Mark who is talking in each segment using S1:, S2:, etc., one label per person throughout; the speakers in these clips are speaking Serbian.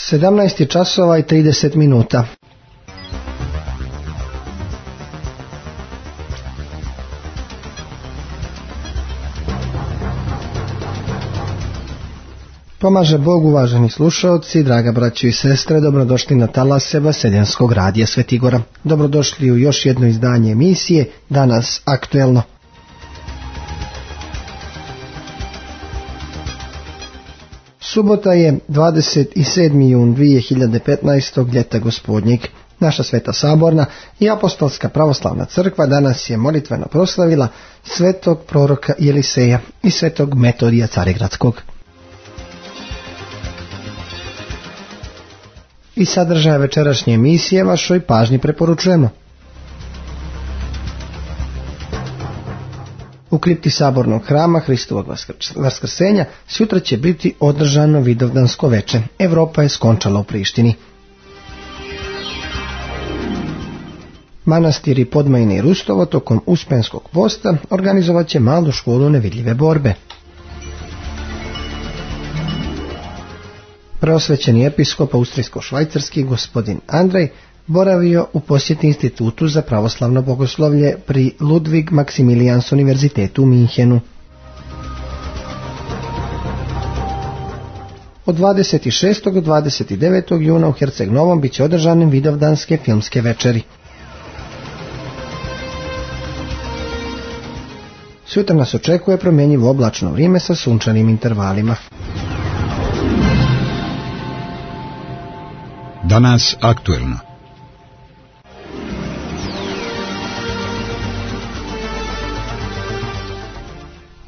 S1: 17 časova i 30 minuta. Pomaže Bog, uvaženi slušalci, draga braćo i sestre, dobrodošli na talase Vaseljenskog radija Svetigora. Dobrodošli u još jedno izdanje emisije, danas aktuelno. Subota je 27. jun 2015. ljeta gospodnjeg. Naša Sveta Saborna i Apostolska pravoslavna crkva danas je molitveno proslavila svetog proroka Jeliseja i svetog Metodija Carigradskog. I sadržaje večerašnje emisije vašoj pažnji preporučujemo. U kripti Sabornog hrama Hristovog vaskrsenja sutra će biti održano Vidovdansko veče. Evropa je skončala u Prištini. Manastiri Podmajine i Rustovo tokom Uspenskog posta organizovat će malu školu nevidljive borbe. Preosvećeni episkop austrijsko-švajcarski gospodin Andrej boravio u posjeti Institutu za pravoslavno bogoslovlje pri Ludwig Maximilians univerzitetu u Minhenu. Od 26. do 29. juna u Herceg Novom bit će održane Vidovdanske filmske večeri. Sutra nas očekuje promjenjivo oblačno vrijeme sa sunčanim intervalima.
S2: Danas aktuelno.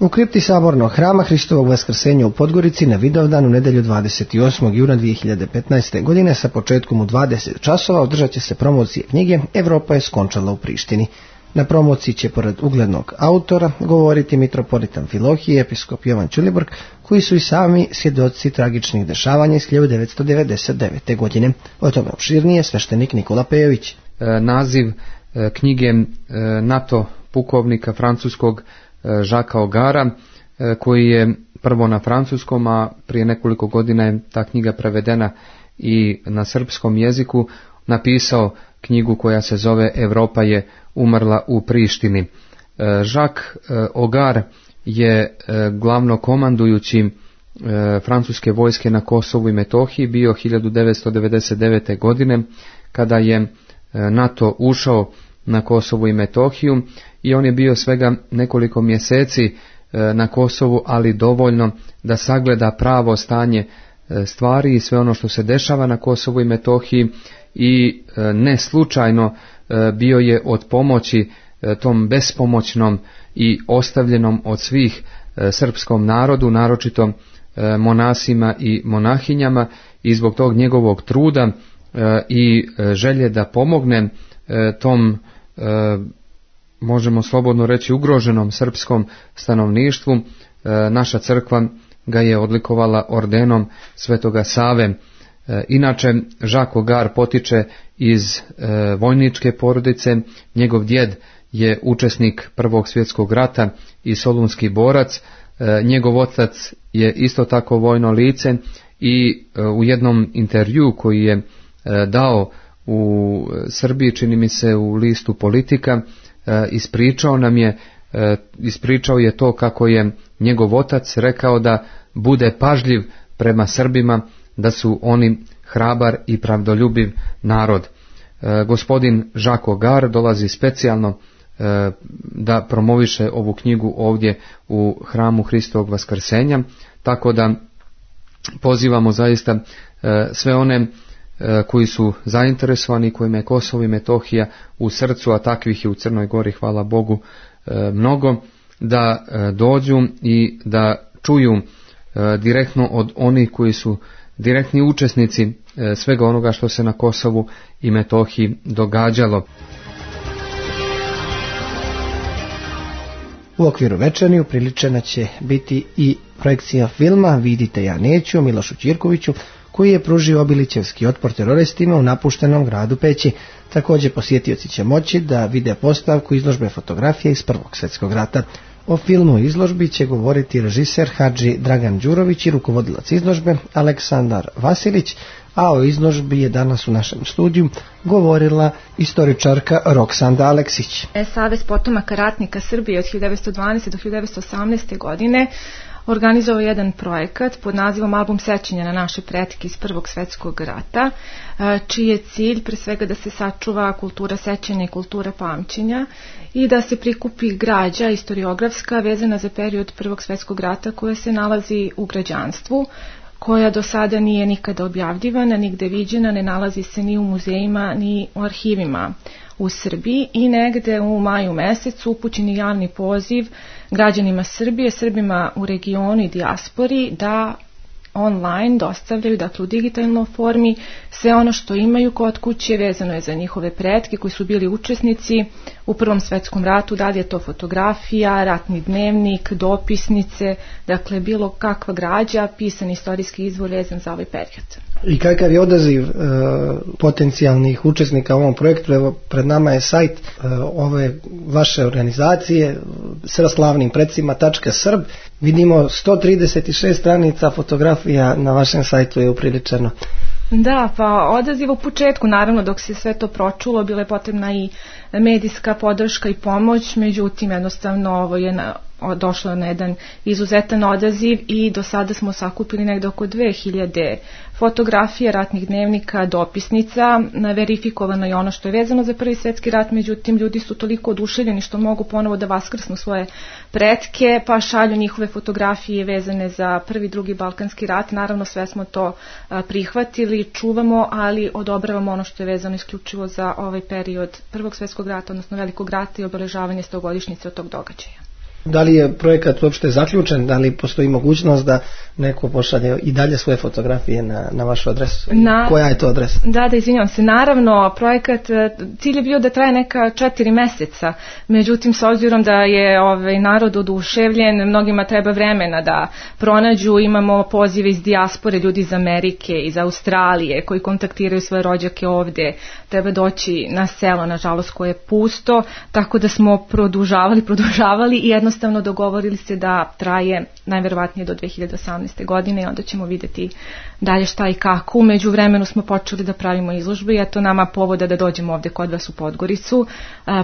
S1: U kripti Sabornog hrama Hristovog vaskrsenja u Podgorici na Vidovdan u nedjelju 28. juna 2015. godine sa početkom u 20 časova održat će se promocije knjige Evropa je skončala u Prištini. Na promociji će pored uglednog autora govoriti mitropolit Amfilohije i episkop Jovan Ćulibrk, koji su i sami svjedoci tragičnih dešavanja iz 1999. godine. O tome opširnije sveštenik Nikola Pejović.
S3: Naziv knjige NATO pukovnika francuskog Jacquesa Ogara, koji je prvo na francuskom, a prije nekoliko godina je ta knjiga prevedena i na srpskom jeziku, napisao knjigu koja se zove Evropa je umrla u Prištini. Jacques Ogar je glavnokomandujući francuske vojske na Kosovu i Metohiji bio 1999. godine kada je NATO ušao na Kosovu i Metohiju i on je bio svega nekoliko mjeseci na Kosovu, ali dovoljno da sagleda pravo stanje stvari i sve ono što se dešava na Kosovu i Metohiji i ne slučajno bio je od pomoći tom bespomoćnom i ostavljenom od svih srpskom narodu, naročito monasima i monahinjama, i zbog tog njegovog truda i želje da pomogne tom, možemo slobodno reći, ugroženom srpskom stanovništvu, naša crkva ga je odlikovala ordenom Svetoga Save. Inače, Jacques Ogar potiče iz vojničke porodice, njegov djed je učesnik Prvog svjetskog rata i solunski borac, njegov otac je isto tako vojno lice i u jednom intervjuu koji je dao u Srbiji, čini mi se u listu Politika, ispričao je to kako je njegov otac rekao da bude pažljiv prema Srbima, da su oni hrabar i pravdoljubiv narod. Gospodin Jacques Ogar dolazi specijalno da promoviše ovu knjigu ovdje u hramu Hristovog vaskrsenja, tako da pozivamo zaista sve one koji su zainteresovani, kojima je Kosovo i Metohija u srcu, a takvih je u Crnoj Gori, hvala Bogu, mnogo, da dođu i da čuju direktno od onih koji su direktni učesnici svega onoga što se na Kosovu i Metohiji događalo.
S1: U okviru večeri upriličena će biti i projekcija filma Vidite ja neću o Milošu Ćirkoviću, koji je pružio obilićevski otpor teroristima u napuštenom gradu Peći. Također posjetioci će moći da vide postavku izložbe fotografije iz Prvog svjetskog rata. O filmu i izložbi će govoriti režiser Hadži Dragan Đurović i rukovodilac izložbe Aleksandar Vasilić, a o izložbi je danas u našem studiju govorila istoričarka Roksanda Aleksić.
S2: Savez potomaka ratnika Srbije od 1912. do 1918. godine organizovao jedan projekat pod nazivom Album sećanja na naše pretke iz Prvog svjetskog rata, čiji je cilj pre svega da se sačuva kultura sećanja i kultura pamćenja i da se prikupi građa istoriografska vezana za period Prvog svjetskog rata koja se nalazi u građanstvu, koja do sada nije nikada objavljivana, nigde viđena, ne nalazi se ni u muzejima ni u arhivima u Srbiji i negde u maju mesecu upućen je javni poziv građanima Srbije, Srbima u regionu i dijaspori da online dostavljaju, dakle u digitalnoj formi, sve ono što imaju kod kuće vezano je za njihove pretke koji su bili učesnici u Prvom svjetskom ratu, da li je to fotografija, ratni dnevnik, dopisnice, dakle bilo kakva građa, pisan istorijski izvor vezan za ovaj period.
S1: I kakav je odaziv potencijalnih učesnika u ovom projektu? Evo, pred nama je sajt ove vaše organizacije srpslavnimprecima.srb. Vidimo 136 stranica fotografija na vašem sajtu je upriličeno.
S2: Da, pa odaziv u početku, naravno dok se sve to pročulo, bila je potrebna i medijska podrška i pomoć, međutim jednostavno ovo je došlo na jedan izuzetan odaziv i do sada smo sakupili negdje oko 2000 fotografija, ratnih dnevnika, dopisnica, verifikovano je ono što je vezano za Prvi svjetski rat, međutim ljudi su toliko oduševljeni što mogu ponovo da vaskrsnu svoje pretke, pa šalju njihove fotografije vezane za Prvi, Drugi Balkanski rat. Naravno sve smo to prihvatili, čuvamo, ali odobravamo ono što je vezano isključivo za ovaj period Prvog svjetskog rata, odnosno Velikog rata i obeležavanje 100-godišnjice od tog događaja.
S1: Da li je projekat uopšte zaključen? Da li postoji mogućnost da neko pošalje i dalje svoje fotografije na vašu adresu? Koja je to adresa?
S2: Da, izvinjavam se. Naravno, projekat, cilj je bio da traje neka 4 meseca. Međutim, s obzirom da je narod oduševljen, mnogima treba vremena da pronađu. Imamo pozive iz dijaspore, ljudi iz Amerike, iz Australije, koji kontaktiraju svoje rođake ovde. Treba doći na selo, nažalost, koje je pusto. Tako da smo produžavali i jednostavno dogovorili se da traje najverovatnije do 2018. godine i onda ćemo vidjeti dalje šta i kako. U međuvremenu smo počeli da pravimo izložbe i eto nama povoda da dođemo ovde kod vas u Podgoricu.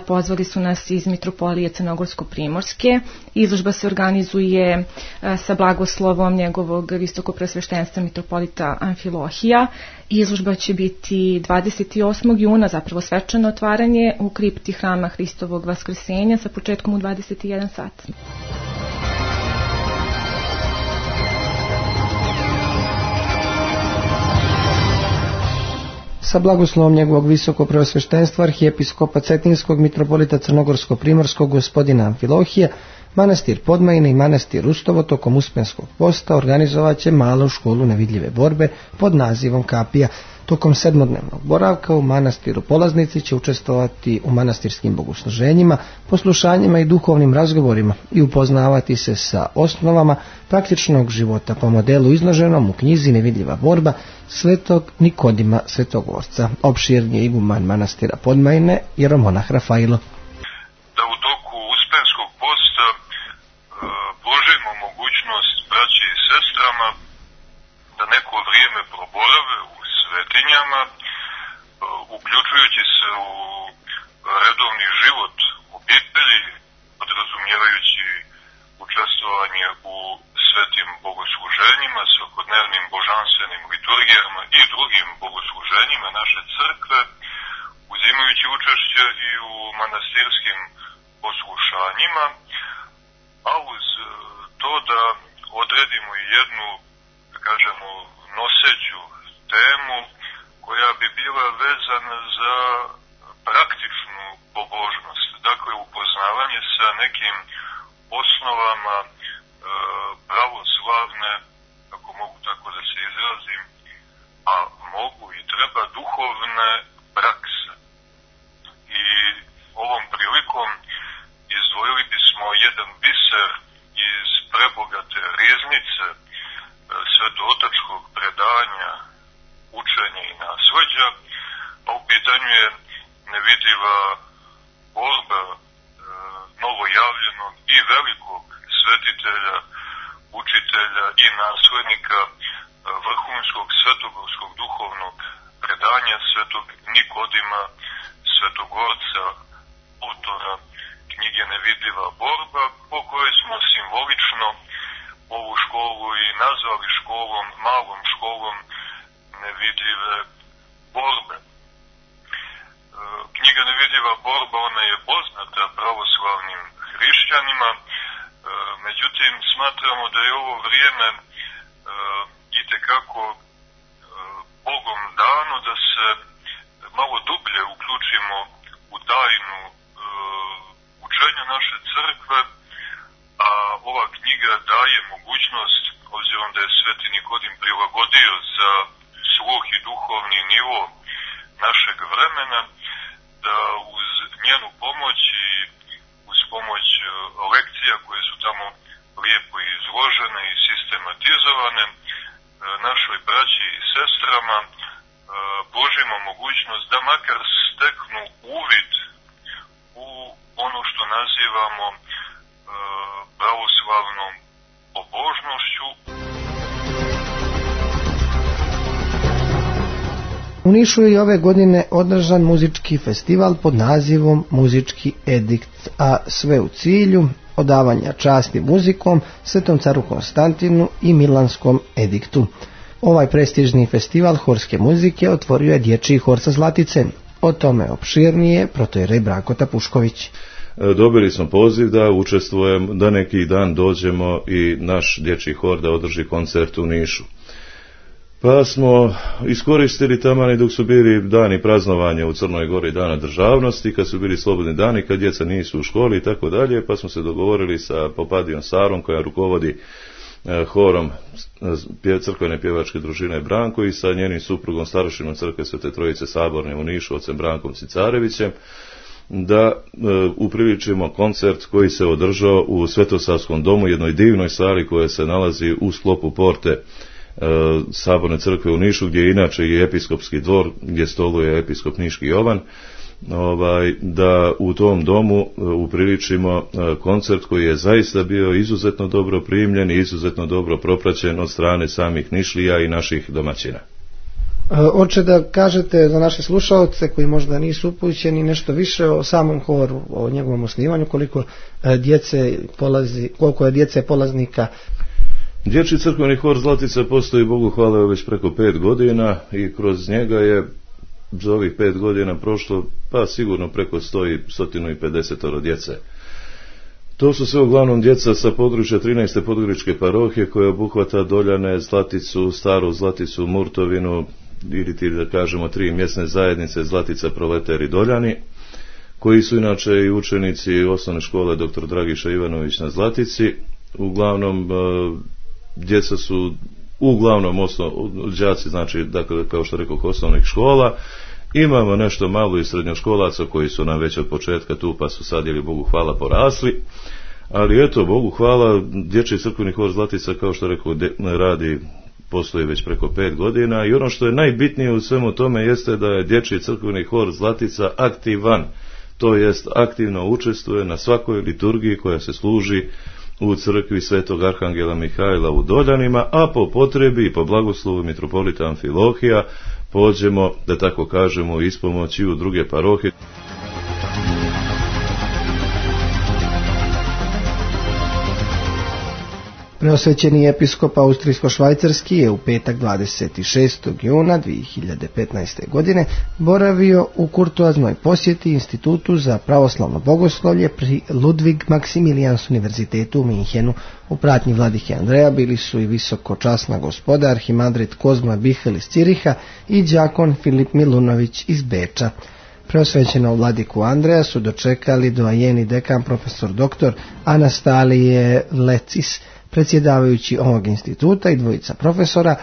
S2: Pozvali su nas iz Mitropolije Crnogorsko-Primorske. Izložba se organizuje sa blagoslovom njegovog visokopreosveštenstva mitropolita Amfilohija. Izložba će biti 28. juna, zapravo svečano otvaranje u kripti Hrama Hristovog Vaskrsenja sa početkom u 21 sat.
S1: Sa blagoslovom njegovog visokopreosveštenstva arhijepiskopa Cetinskog mitropolita Crnogorsko-Primorskog gospodina Amfilohija, manastir Podmajine i manastir Rustovo tokom Uspenskog posta organizovat će malu školu nevidljive borbe pod nazivom Kapija. Tokom 7-dnevnog boravka u manastiru polaznici će učestvovati u manastirskim bogosluženjima, poslušanjima i duhovnim razgovorima i upoznavati se sa osnovama praktičnog života po modelu izloženom u knjizi Nevidljiva borba svetog Nikodima Svetogorca. Opširni je iguman manastira Podmajine jeromonah Rafailo.
S4: Da u toku Uspenskog posta pružimo mogućnost braći i sestrama da neko vrijeme proborave u svetinjama, uključujući se u redovni život obitelji, podrazumijevajući učestvovanje u svetim bogosluženjima, svakodnevnim božanstvenim liturgijama i drugim bogosluženjima naše crkve, uzimajući učešće i u manastirskim poslušanjima, a uz to da odredimo i jednu, da kažemo, noseću temu koja bi bila vezana za praktičnu pobožnost, dakle upoznavanje sa nekim osnovama pravoslavne, ako mogu tako da se izrazim, a mogu i treba duhovne prakse. I ovom prilikom izdvojili bismo jedan biser iz prebogate riznice svetootačkog predanja učenja i nasleđa, a u pitanju je nevidljiva borba novojavljenog i velikog svetitelja, učitelja i naslednika vrhunskog svetogorskog duhovnog svetog Nikodima Svetogorca, autora knjige Nevidljiva borba, po kojoj smo simbolično ovu školu i nazvali školom, malom školom nevidljive borbe. Knjiga Nevidljiva borba, ona je poznata pravoslavnim hrišćanima, međutim smatramo da je ovo vrijeme itekako Bogom dano da se malo dublje uključimo u tajnu učenja naše crkve, a ova knjiga daje mogućnost, obzirom da je Sveti Nikodim prilagodio za sluh i duhovni nivo našeg vremena, da uz njenu pomoć i uz pomoć lekcija koje su tamo lijepo izložene i sistematizovane, našoj braći i sestrama pružimo mogućnost da makar steknu uvid u ono što nazivamo pravoslavnom pobožnošću.
S1: U Nišu je ove godine održan muzički festival pod nazivom Muzički edikt, a sve u cilju odavanja časti muzikom Svetom caru Konstantinu i Milanskom ediktu. Ovaj prestižni festival horske muzike otvorio je dječji hor sa Zlatice. O tome opširnije protojerej Branko Tapušković.
S5: Dobili smo poziv da učestvujem, da neki dan dođemo i naš dječji hor da održi koncert u Nišu. Pa smo iskoristili taman dok su bili dani praznovanja u Crnoj Gori, dana državnosti, kad su bili slobodni dani, kad djeca nisu u školi i tako dalje, pa smo se dogovorili sa Popadijom Sarom, koja rukovodi horom crkvene pjevačke družine Branko, i sa njenim suprugom, starošinom crkve Svete Trojice Saborne u Nišu, ocem Brankom Cicarevićem, da upriličimo koncert koji se održao u Svetosavskom domu, jednoj divnoj sali koja se nalazi u sklopu porte Saborne crkve u Nišu, gdje je inače i episkopski dvor, gdje stoluje episkop Niški Jovan, da u tom domu upriličimo koncert koji je zaista bio izuzetno dobro primljen i izuzetno dobro propraćen od strane samih Nišlija i naših domaćina.
S1: Oče, da kažete za naše slušalce koji možda nisu upućeni nešto više o samom horu, o njegovom osnivanju, koliko je djece polaznika.
S5: Dječji crkveni hor Zlatica postoji, Bogu hvala, već preko 5 godina i kroz njega je za ovih 5 godina prošlo pa sigurno preko 150 djece. To su sve uglavnom djeca sa područja 13. podgoričke parohije, koja obuhvata Doljane, Zlaticu, Staru Zlaticu, Murtovinu, ili ti da kažemo 3 mjesne zajednice Zlatica, Proleter i Doljani, koji su inače i učenici osnovne škole dr. Dragiša Ivanović na Zlatici. Uglavnom djeca su đaci, znači, dakle, kao što rekao, osnovnih škola. Imamo nešto malo i srednjoškolaca koji su nam već od početka tu, pa su sad, Bogu hvala, porasli. Ali eto, Bogu hvala, dječji crkveni hor Zlatica, kao što rekao, postoji već preko 5 godina, i ono što je najbitnije u svemu tome jeste da je dječji crkveni hor Zlatica aktivan, to jest aktivno učestvuje na svakoj liturgiji koja se služi u crkvi Svetog Arhangela Mihajla u Doljanima, a po potrebi i po blagoslovu mitropolita Amfilohija pođemo, da tako kažemo, ispomoći u druge parohije.
S1: Preosvećeni episkop austrijsko-švajcarski je u petak 26. juna 2015. godine boravio u kurtoaznoj posjeti Institutu za pravoslavno bogoslovlje pri Ludwig Maximilians univerzitetu u Minhenu. U pratnji vladike Andreja bili su i visokočasna gospoda arhimandrit Kozma Bihel iz Ciriha i đakon Filip Milunović iz Beča. Preosvećenog vladiku Andreja su dočekali doajeni dekan profesor dr. Anastalije Lecis, predsjedavajući ovog instituta, i dvojica profesora,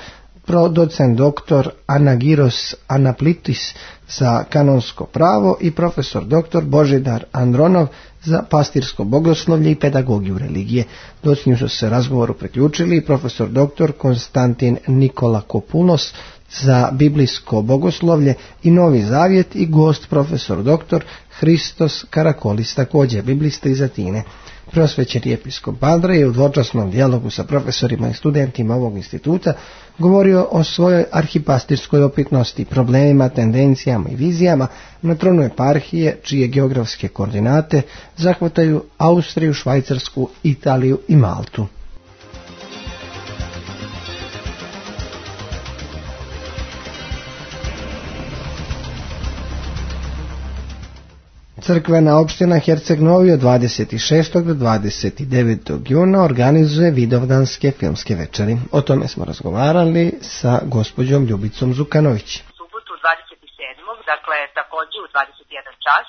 S1: docent dr. Anagiros Anaplitis za kanonsko pravo i profesor dr. Božidar Andronov za pastirsko bogoslovlje i pedagogiju religije. Dok nju su se razgovoru priključili i profesor dr. Konstantin Nikola Kopulos za biblijsko bogoslovlje i Novi Zavjet i gost profesor dr. Hristos Karakolis, također biblista iz Atine. Preosvećeni episkop Andrej je u dvočasnom dijalogu sa profesorima i studentima ovog instituta govorio o svojoj arhipastirskoj opitnosti, problemima, tendencijama i vizijama na tronu eparhije, čije geografske koordinate zahvataju Austriju, Švajcarsku, Italiju i Maltu. Crkvena opština Herceg Novi od 26. do 29. juna organizuje vidovdanske filmske večeri. O tome smo razgovarali sa gospođom Ljubicom Zukanović.
S6: Subotu 27. dakle također u 21 čas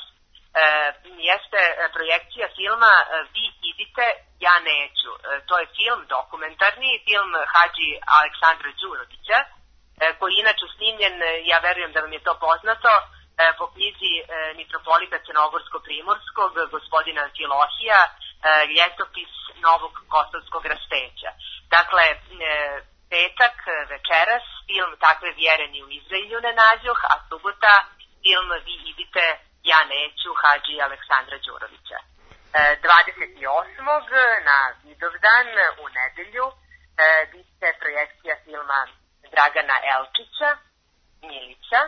S6: jeste projekcija filma Vi idite, ja neću. To je film dokumentarni, film Hadži Aleksandra Đurovića, koji je inače snimljen, ja verujem da vam je to poznato, po knjizi mitropolita Crnogorsko-Primorskog, gospodina Amfilohija, Ljetopis Novog Kosovskog raspeća. Dakle, petak, večeras, film Takve vjere ni u Izraelju ne nađoh, a subota film Vi idite, ja neću, Hadži Aleksandra Đurovića. 28. na Vidovdan u nedelju biće projekcija filma Dragana Elčića, Milica,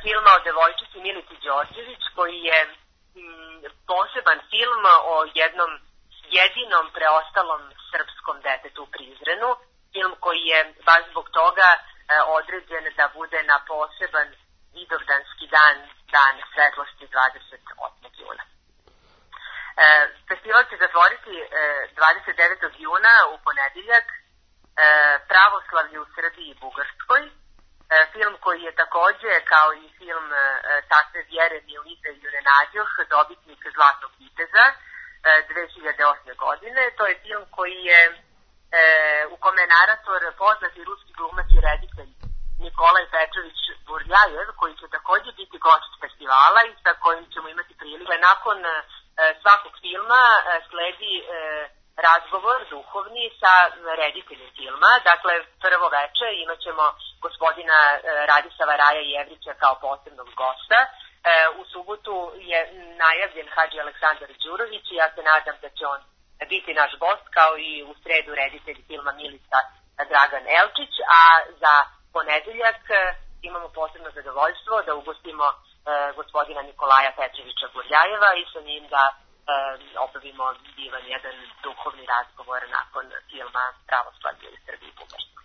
S6: filma o devojčici Milici Đorđević, koji je poseban film o jednom jedinom preostalom srpskom detetu u Prizrenu, film koji je baš zbog toga određen da bude na poseban vidovdanski dan, dan svetlosti 28. juna. Festival će zatvoriti 29. juna u ponedeljak Pravoslavlje u Srbiji i Bugarskoj, film koji je također, kao i film Takve vjere ni u Izraelju ne nađoh, dobitnik Zlatnog viteza 2008. godine. To je film koji je, u kome je narator poznati ruski glumac i reditelj Nikolaj Petrović Burljajev, koji će također biti gost festivala i sa kojim ćemo imati prilike. Nakon svakog filma sledi razgovor duhovni sa rediteljem filma. Dakle, prvo veče imat ćemo gospodina Radisava Raja Jevrića kao posebnog gosta. U subotu je najavljen Hadži Aleksandar Đurović i ja se nadam da će on biti naš gost, kao i u sredu reditelj filma Milica Dragan Elčić, a za ponedeljak imamo posebno zadovoljstvo da ugostimo gospodina Nikolaja Petrovića Burljajeva i sa njim da obavimo divan jedan duhovni razgovor nakon filma Pravoslavlje u Srbiji i Bugarskoj.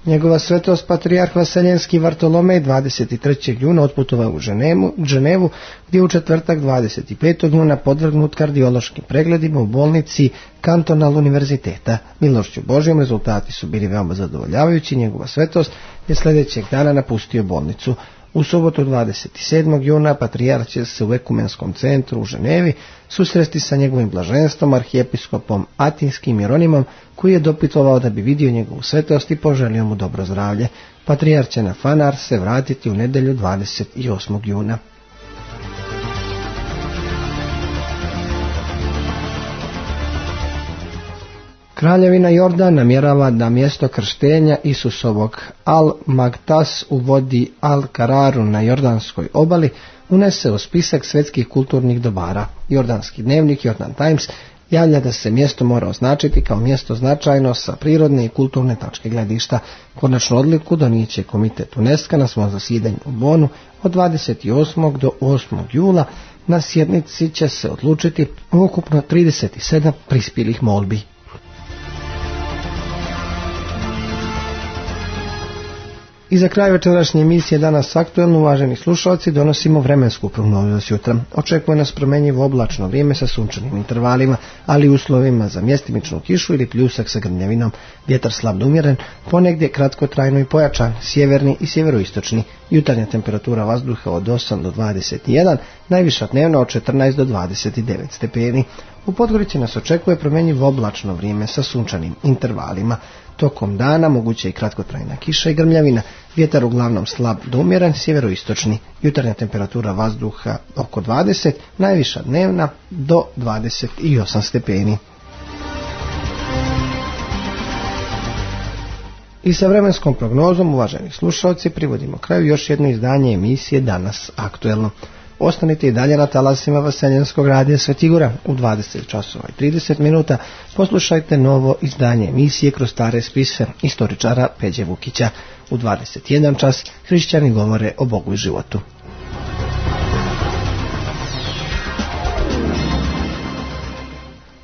S1: Njegova svetost patrijarh Vaseljenski Vartolomej 23. juna otputovao u Ženevu, gdje u četvrtak 25. juna podvrgnut kardiološkim pregledima u bolnici Kantonal univerziteta. Milošću Božjom rezultati su bili veoma zadovoljavajući. Njegova svetost je sljedećeg dana napustio bolnicu. U subotu 27. juna patrijarh će se u Ekumenskom centru u Ženevi susresti sa njegovim blaženstvom arhijepiskopom Atinskim Jeronimom, koji je dopitovao da bi vidio njegovu svetost i poželio mu dobro zdravlje. Patrijarh će na Fanar se vratiti u nedjelju 28. juna. Kraljevina Jordan namjerava da mjesto krštenja Isusovog Al-Magtas u vodi Al-Kararu na jordanskoj obali unese u spisak svjetskih kulturnih dobara. Jordanski dnevnik Jordan Times javlja da se mjesto mora označiti kao mjesto značajno sa prirodne i kulturne tačke gledišta. Konačnu odluku donijet će komitet UNESCO na svom zasjedanju u Bonu od 28. do 8. jula. Na sjednici će se odlučiti ukupno 37 prispjelih molbi. I za kraj večerašnje emisije Danas aktuelno, uvaženi slušalci, donosimo vremensku prognozu za sutra. Očekuje nas promjenjivo oblačno vrijeme sa sunčanim intervalima, ali uslovima za mjestimičnu kišu ili pljusak sa grmljavinom. Vjetar slab do umjeren, ponegdje kratkotrajno i pojačan, sjeverni i sjeveroistočni. Jutarnja temperatura vazduha od 8 do 21, najviša dnevna od 14 do 29 stepeni. U Podgorici nas očekuje promjenjivo oblačno vrijeme sa sunčanim intervalima. Tokom dana moguće i kratkotrajna kiša i grmljavina. Vjetar uglavnom slab do umjeren, sjeveroistočni. Jutarnja temperatura vazduha oko 20, najviša dnevna do 28 stepeni. I sa vremenskom prognozom, uvaženi slušalci, privodimo kraju još jedno izdanje emisije Danas aktuelno. Ostanite i dalje na talasima Vaseljenskog radija Svetigora. U 20 časova i 30 minuta poslušajte novo izdanje emisije Kroz stare spise istoričara Peđe Vukića. U 21 čas hrišćani govore o Bogu i životu.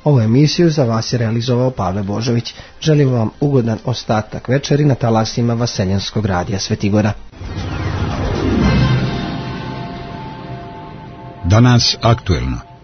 S1: Ovu emisiju za vas je realizovao Pavle Božović. Želim vam ugodan ostatak večeri na talasima Vaseljenskog radija Svetigora.
S7: Danas aktuelno.